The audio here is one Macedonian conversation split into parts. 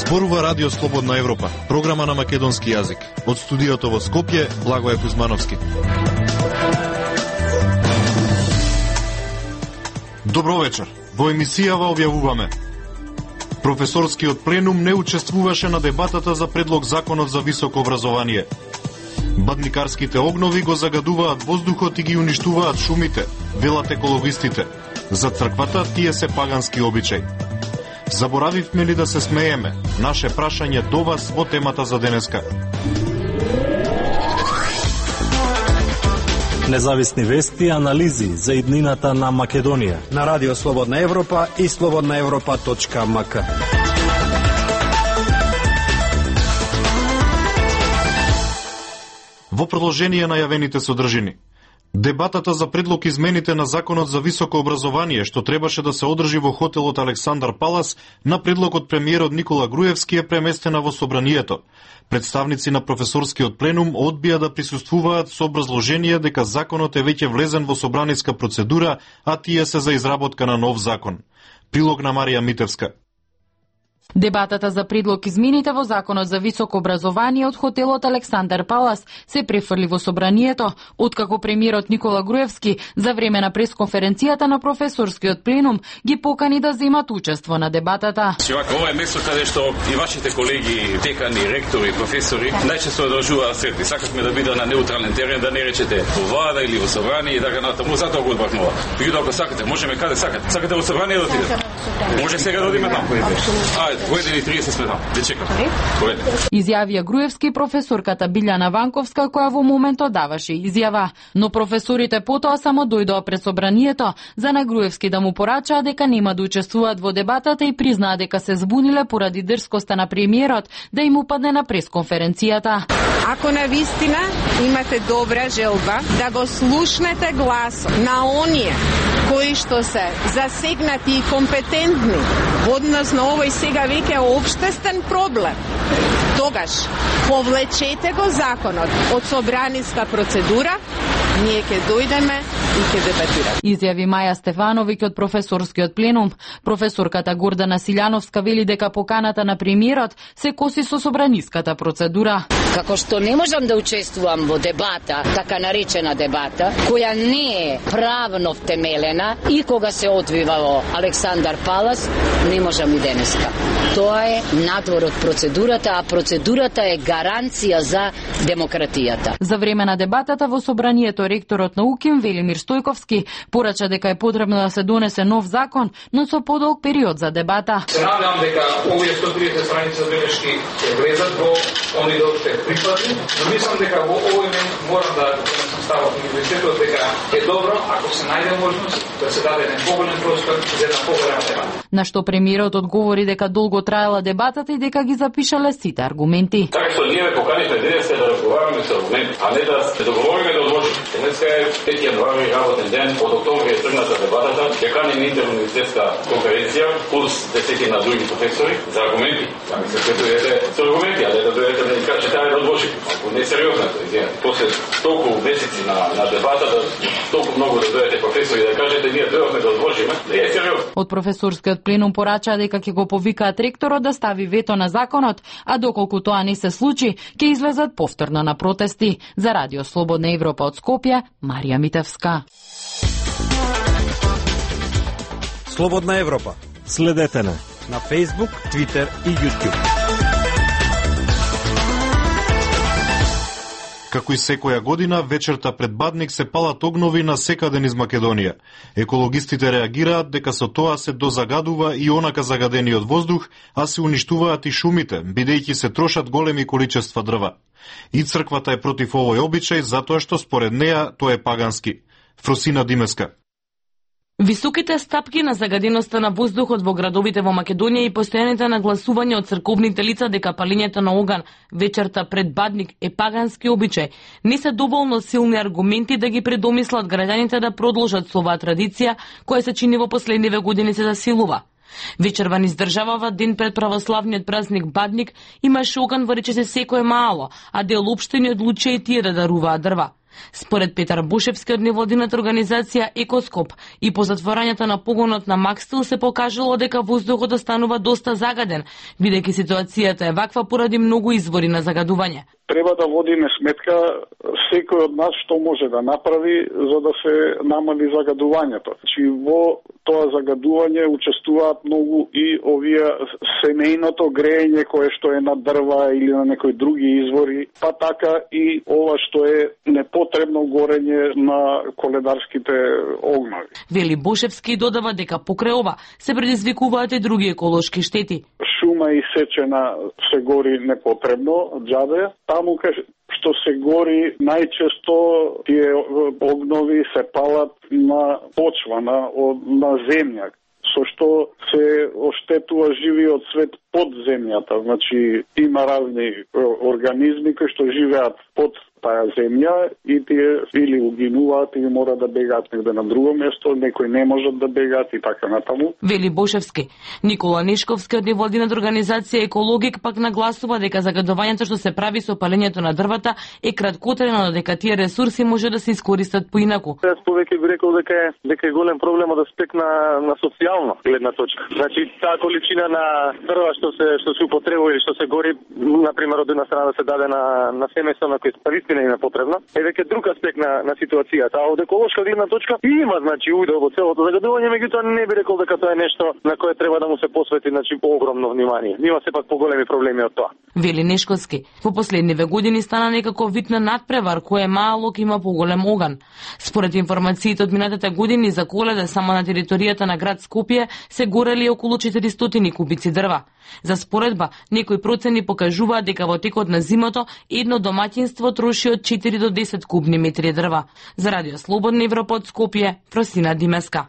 Зборува Радио Слободна Европа, програма на македонски јазик. Од студиото во Скопје, Благоје Кузмановски. Добро вечер. Во емисијава објавуваме: професорскиот пленум не учествуваше на дебатата за предлог законот за високо образование. Бадникарските огнови го загадуваат воздухот и ги уништуваат шумите, велат екологистите. За црквата тие се пагански обичаи. Заборавивме ли да се смееме? Наше прашање до вас во темата за денеска. Независни вести и анализи за иднината на Македонија на Радио Слободна Европа и slobodnaevropa.mk. Во продолжение на јавените содржини. Дебатата за предлог измените на законот за високо образование, што требаше да се одржи во хотелот Александар Палас, на предлог од премиерот Никола Груевски е преместена во собранието. Представници на професорскиот пленум одбија да присуствуваат со образложение дека законот е веќе влезен во собраниска процедура, а тие се за изработка на нов закон. Прилог на Марија Митевска. Дебатата за предлог измените во законот за високо образование од хотелот Александар Палас се префрли во собранието, откако премиерот Никола Груевски за време на пресконференцијата на професорскиот пленум ги покани да земат учество на дебатата. Ова е место каде што и вашите колеги, декани, ректори, професори најчесто одржуваат средби. Сакавме да биде на неутрален терен, да не речете во влада или во собрание и така натаму, затоа го одбракнува. Меѓутоа, ако сакате, можеме каде сакате. Сакате во собрание да отидете? Може сега да одиме таму. Војдени 30 сме таму. Де чекаме. Изјавија Груевски професорката Билјана Ванковска, која во моментот даваше изјава, но професорите потоа само дојдоа пред собранието за на Груевски да му порачаа дека нема да учествуваат во дебатата и признаа дека се збуниле поради дрскоста на премиерот да им упадне на пресконференцијата. Ако навистина имате добра желба да го слушнете глас на оние кои што се засегнати и компетентни во однос на овој сега веќе општествен проблем, тогаш повлечете го законот од собраниска процедура, ние ќе дојдеме и ќе дебатираме. Изјави Маја Стефановиќ од професорскиот пленум. Професорката Гордана Силјановска вели дека поканата на премиерот се коси со собраниската процедура. Како што не можам да учествувам во дебата, така наречена дебата, која не е правно втемелена и кога се одвива во Александар Палас, не можам и денеска. Тоа е надвор од процедурата, а процедурата е гаранција за демократијата. За време на дебатата во собранието ректорот на УКИМ Велимир Стојковски порача дека е потребно да се донесе нов закон, но со подолг период за дебата. Се надевам дека овие 130 страници за белешки ќе влезат во оние дел што е прикладни, но мислам дека во овој момент морам да ставам универзитетот дека е добро ако се најде можност да се даде еден поголем простор за една поголема дебата. На што премиерот одговори дека долго траела дебатата и дека ги запишале сите аргументи. Така што ние поканивме денес да разговараме со аргументи, а не да се договориме да одложиме. Денеска е 5 јануари работен ден, од октомври е тргната дебатата, ќе каним интеруниверзитетска конференција, плюс 10 на други професори за аргументи. Ами се дојдете со аргументи, а не да дојдете да ни кажете да одложиме. Ако не е сериозно, извинете. После толку месеци на дебатата, толку многу да дојдете професори да кажете ние дојдовме да одложиме, не е сериозно. Од професорскиот пленум порачаа дека ќе го повикаат ректорот да стави вето на законот, а доколку тоа не се случи, ќе излезат повторно на протести. За Радио Слободна Европа од Скопје, Марија Митевска. Слободна Европа. Следете на Facebook, Twitter и YouTube. Како и секоја година, вечерта пред Бадник се палат огнови на секаден из Македонија. Екологистите реагираат дека со тоа се дозагадува и онака загадениот воздух, а се уништуваат и шумите, бидејќи се трошат големи количества дрва. И црквата е против овој обичај, затоа што според неа тоа е пагански. Фросина Димеска. Високите стапки на загаденоста на воздухот во градовите во Македонија и постојаните нагласувања од црковните лица дека палењето на оган вечерта пред Бадник е пагански обичај, не се доволно силни аргументи да ги предомислат граѓаните да продолжат со оваа традиција која се чини во последниве години се засилува. Вечерва низ државава ден пред православниот празник Бадник имаше оган во речиси секое мало, а дел општини одлучија и тие да даруваат дрва. Според Петар Бушевски од невладината организација Екоскоп и по затворањето на погонот на Макстил се покажало дека воздухот останува доста загаден, бидејќи ситуацијата е ваква поради многу извори на загадување. Треба да водиме сметка секој од нас што може да направи за да се намали загадувањето. Во тоа загадување учествуваат многу и овие семејното греење кое што е на дрва или на некои други извори, па така и ова што е непотребно горење на коледарските огнови. Вели Бушевски додава дека покрај ова се предизвикуваат и други еколошки штети. Шума исечена се гори непотребно, џабе. Таму што се гори, најчесто тие огнови се палат на почва, на земја, со што се оштетува живиот свет под земјата. Значи, има разни организми кои што живеат под таа земја и тие или угинуваат или мора да бегаат негде на друго место, некои не можат да бегаат и така натаму. Вели Бошевски. Никола Нешковски од невладината организација Екологик пак нагласува дека загадувањето што се прави со палењето на дрвата е краткотрено, дека тие ресурси може да се искористат поинаку. Јас повеќе би рекол дека е голем проблем од аспект на социјална гледна точка. Значи таа количина на дрва што се употребува или што се гори, на пример од една страна да се даде на семејство на кој наистина им е потребна, е веќе друг аспект на ситуацијата. А од еколошка гледна точка има значи удел во целото загадување, меѓутоа не би рекол дека тоа е нешто на кое треба да му се посвети значи огромно внимание. Има сепак поголеми проблеми од тоа. Вели Нешковски. Во последниве години стана некако вид на надпревар кој е малок има поголем оган. Според информациите од минатите години за Коледа само на територијата на град Скопје се горели околу 400 кубици дрва. За споредба, некои процени покажуваат дека во текот на зимото едно домаќинство троши од 4 до 10 кубни метри дрва. За Радио Слободна Европа од Скопје, Фросина Димеска.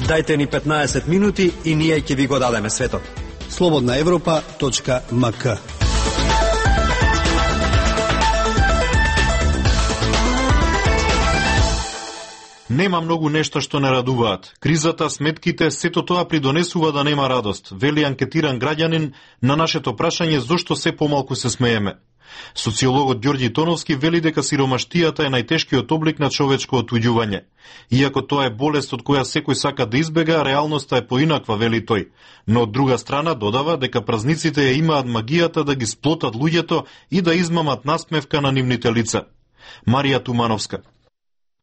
Дајте ни 15 минути и ние ќе ви го дадеме светот. slobodnaevropa.mk. Нема многу нешта што не радуваат. Кризата, сметките, сето тоа придонесува да нема радост, вели анкетиран граѓанин на нашето прашање зошто се помалку се смееме. Социологот Ѓорѓи Тоновски вели дека сиромаштијата е најтешкиот облик на човечко отуѓување. Иако тоа е болест од која секој сака да избега, реалноста е поинаква, вели тој. Но од друга страна додава дека празниците ја имаат магијата да ги сплотат луѓето и да измамат насмевка на нивните лица. Марија Тумановска.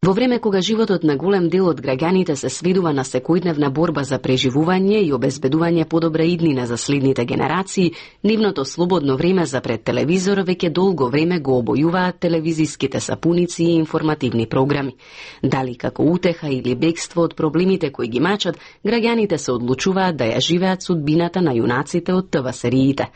Во време кога животот на голем дел од граѓаните се сведува на секојдневна борба за преживување и обезбедување подобра иднина за следните генерации, нивното слободно време за пред телевизор веќе долго време го обојуваат телевизиските сапуници и информативни програми. Дали како утеха или бегство од проблемите кои ги мачат, граѓаните се одлучуваат да ја живеат судбината на јунаците од ТВ сериите.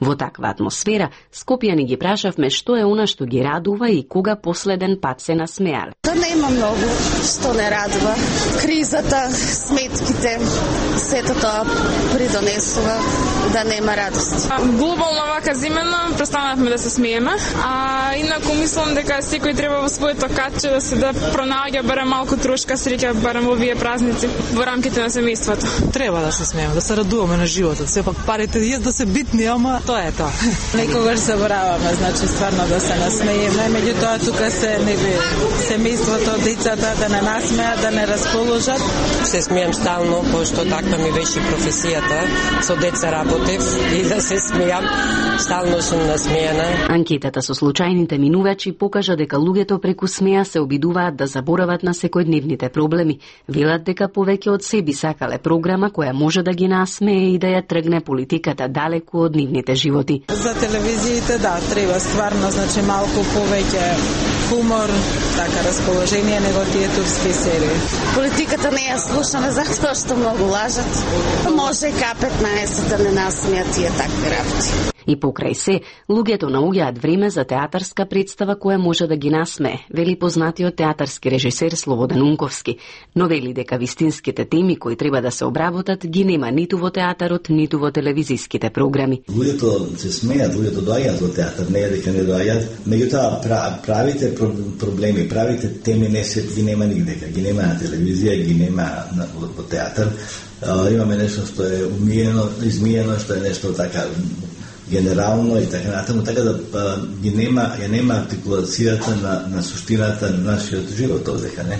Во таква атмосфера, скопјани ги прашавме што е она што ги радува и кога последен пат се насмеале. Нема многу што не радува. Кризата, сметките, сето тоа придонесува да нема радост. Глобално вака зимено престанавме да се смееме, а инаку мислам дека секој треба во своето катче да се пронаоѓа барем малку трошка среќа барем во овие празници во рамките на семејството. Треба да се смееме, да се радуваме на животот. Сепак парите јас да се битни, ама тоа е тоа. Некогаш забораваме, значи стварно да се насмееме, меѓутоа тука се семејството, децата да не насмеат, да не расположат. Се смеам стално, пошто таква ми беше професијата. Со деца работев и да се смеам. Стално сум насмејана. Анкетата со случајните минувачи покажа дека луѓето преку смеа се обидуваат да заборават на секојдневните проблеми. Велат дека повеќе од себе сакале програма која може да ги насмее и да ја тргне политиката далеку од нивните животи. За телевизиите да, треба стварно, значи малку повеќе хумор, така расположение него тие турски серии. Политиката не ја слушаме затоа што многу лажат. Може К15 да не насмеат тие такви работи. И покрај се, луѓето наоѓаат време за театарска представа која може да ги насмее, вели познатиот театарски режисер Слободан Унковски, но вели дека вистинските теми кои треба да се обработат ги нема ниту во театарот, ниту во телевизиските програми. Луѓето се смеат, луѓето доаѓаат во театар, не е дека не доаѓаат, меѓутоа правите проблеми, правите теми не се ги нема нигде, ги нема на телевизија, ги нема во театар. Имаме нешто што е измиено, што е нешто така генерално и така натаму, така да ја нема артикулацијата на суштината на нашиот живот овдека, не?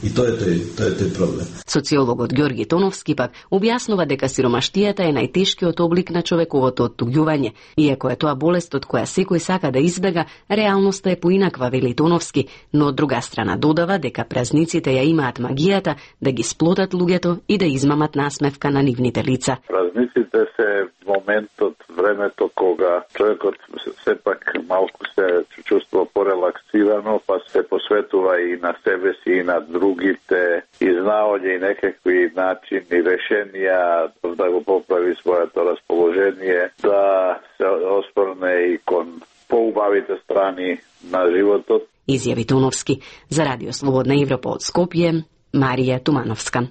И тоа е тој проблем. Социологот Ѓорги Тоновски пак објаснува дека сиромаштијата е најтешкиот облик на човековото оттуѓување. Иако е тоа болест од која секој сака да избега, реалноста е поинаква, вели Тоновски, но од друга страна додава дека празниците ја имаат магијата да ги сплотат луѓето и да измамат насмевка на нивните лица. Празниците се моментот, времето кога човекот сепак малку се чувствува порелаксирано, па се посветува и на себе си и на другите, изнаоѓа и некакви начини, решенија да го поправи своето расположение, да се оспорне и кон поубавите страни на животот. Изјави Тоновски. За Радио Слободна Европа од Скопје, Марија Тумановска.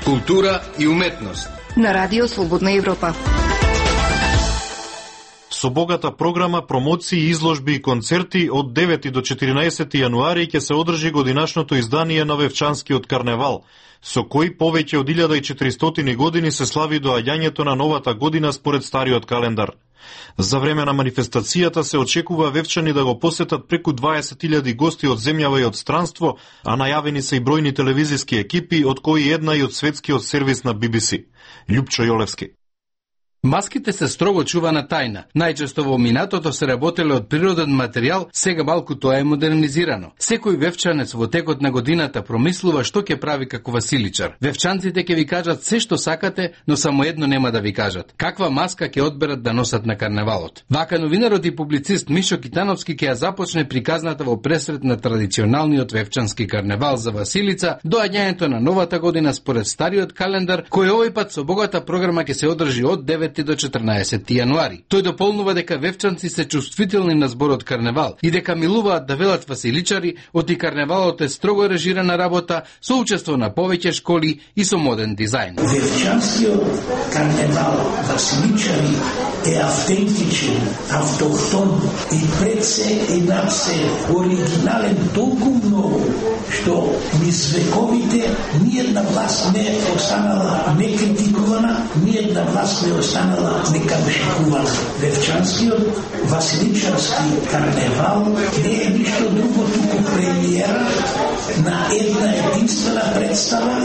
Култура и уметност на Радио Слободна Европа. Со богата програма, промоции, изложби и концерти од 9 до 14 јануари ќе се одржи годинашното издание на Вевчанскиот карневал, со кој повеќе од 1400 години се слави доаѓањето на новата година според стариот календар. За време на манифестацијата се очекува вевчани да го посетат преку 20.000 гости од земјава и од странство, а најавени се и бројни телевизиски екипи, од кои една и од светскиот сервис на BBC. Љупчо Јолевски. Маските се строго чувана тајна. Најчесто во минатото се работеле од природен материјал, сега малку тоа е модернизирано. Секој вевчанец во текот на годината промислува што ќе прави како Василичар. Вевчанците ќе ви кажат се што сакате, но само едно нема да ви кажат: каква маска ќе одберат да носат на карневалот. Вака новинарот и публицист Мишо Китановски ќе ја започне приказната во пресрет на традиционалниот вевчански карневал за Василица, доаѓањето на новата година според стариот календар, кој овој пат со богата програма ќе се одржи од 9 до 14 јануари. Тој дополнува дека вевчанци се чувствителни на зборот карневал и дека милуваат да велат Василичари, оти карневалот е строго режирана работа со учество на повеќе школи и со моден дизајн. Вевчанскиот карневал Василичари е автентичен, автохтон и пред се и над се оригинален толку многу, што низ вековите ниедна власт не останала некритикувана, ниедна власт не останала некамшикувана. Вевчанскиот Василичарски карневал не е ништо друго туку премиера на една единствена представа,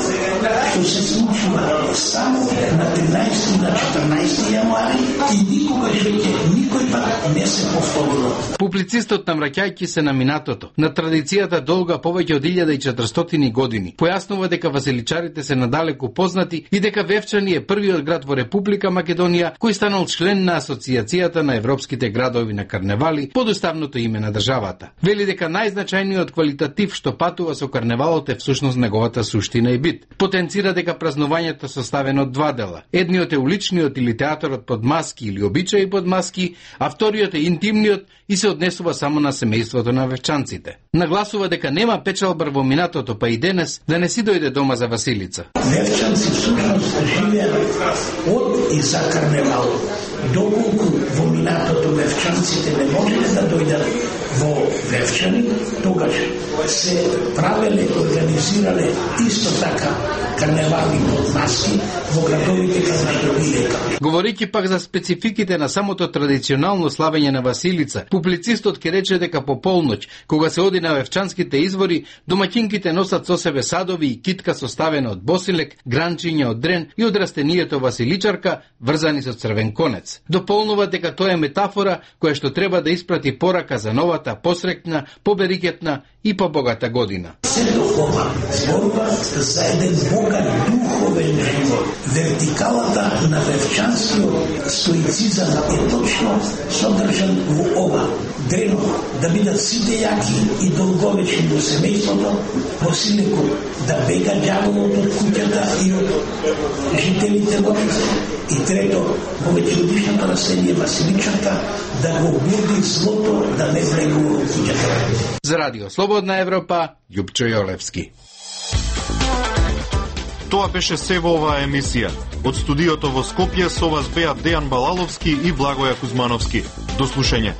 што се случува само на 13 и на 14 јануари и никогаш веќе никој пат не се повторило. Публицистот, намраќајќи се на минатото, на традицијата долга повеќе од 1400 години, појаснува дека Василичарите се надалеку познати и дека Вевчани е првиот град во Република Македонија кој станал член на Асоцијацијата на европските градови на карневали под уставното име на државата. Вели дека најзначајниот квалитатив што патува со карневалот е всушност неговата суштина и бит. Потенцира дека празнувањето составено од два дела. Едниот е уличниот или театарот под маски или обичаи под маски, а вториот е интимниот и се однесува само на семејството на вевчанците. Нагласува дека нема печалбар во минатото, па и денес да не си дојде дома за Василица. Вевчанци всушност живеат од и за карневалот. Доколку во минатото вевчанците не можеле да дојдат во Вевчани, тогаш се правеле, организирале исто така карневали под маски во градовите каде што биле. Говорејќи пак за спецификите на самото традиционално славење на Василица, публицистот ќе рече дека по полноќ, кога се оди на вевчанските извори, домаќинките носат со себе садови и китка составена од босилек, гранчиња од дрен и од растенијето Василичарка, врзани со црвен конец. Дополнува дека тоа е метафора која што треба да испрати порака за новата, посрекна, поберикетна и побогата година. Сето ова зборува за еден богат духовен живот. Вертикалата на вевчанскиот стоицизам е точно содржан во ова. Дрено да бидат сите јаки и долговечни во семејството, босилекот да бега ѓаволот од куќата и од жителите во и трето, повеќегодишното населие Василичарка да го буди злото да не влегува во куќата. За Радио Слободна Европа, Љупчо Јолевски. Тоа беше се во оваа емисија. Од студиото во Скопје со вас беа Дејан Балаловски и Благоја Кузмановски. До слушање.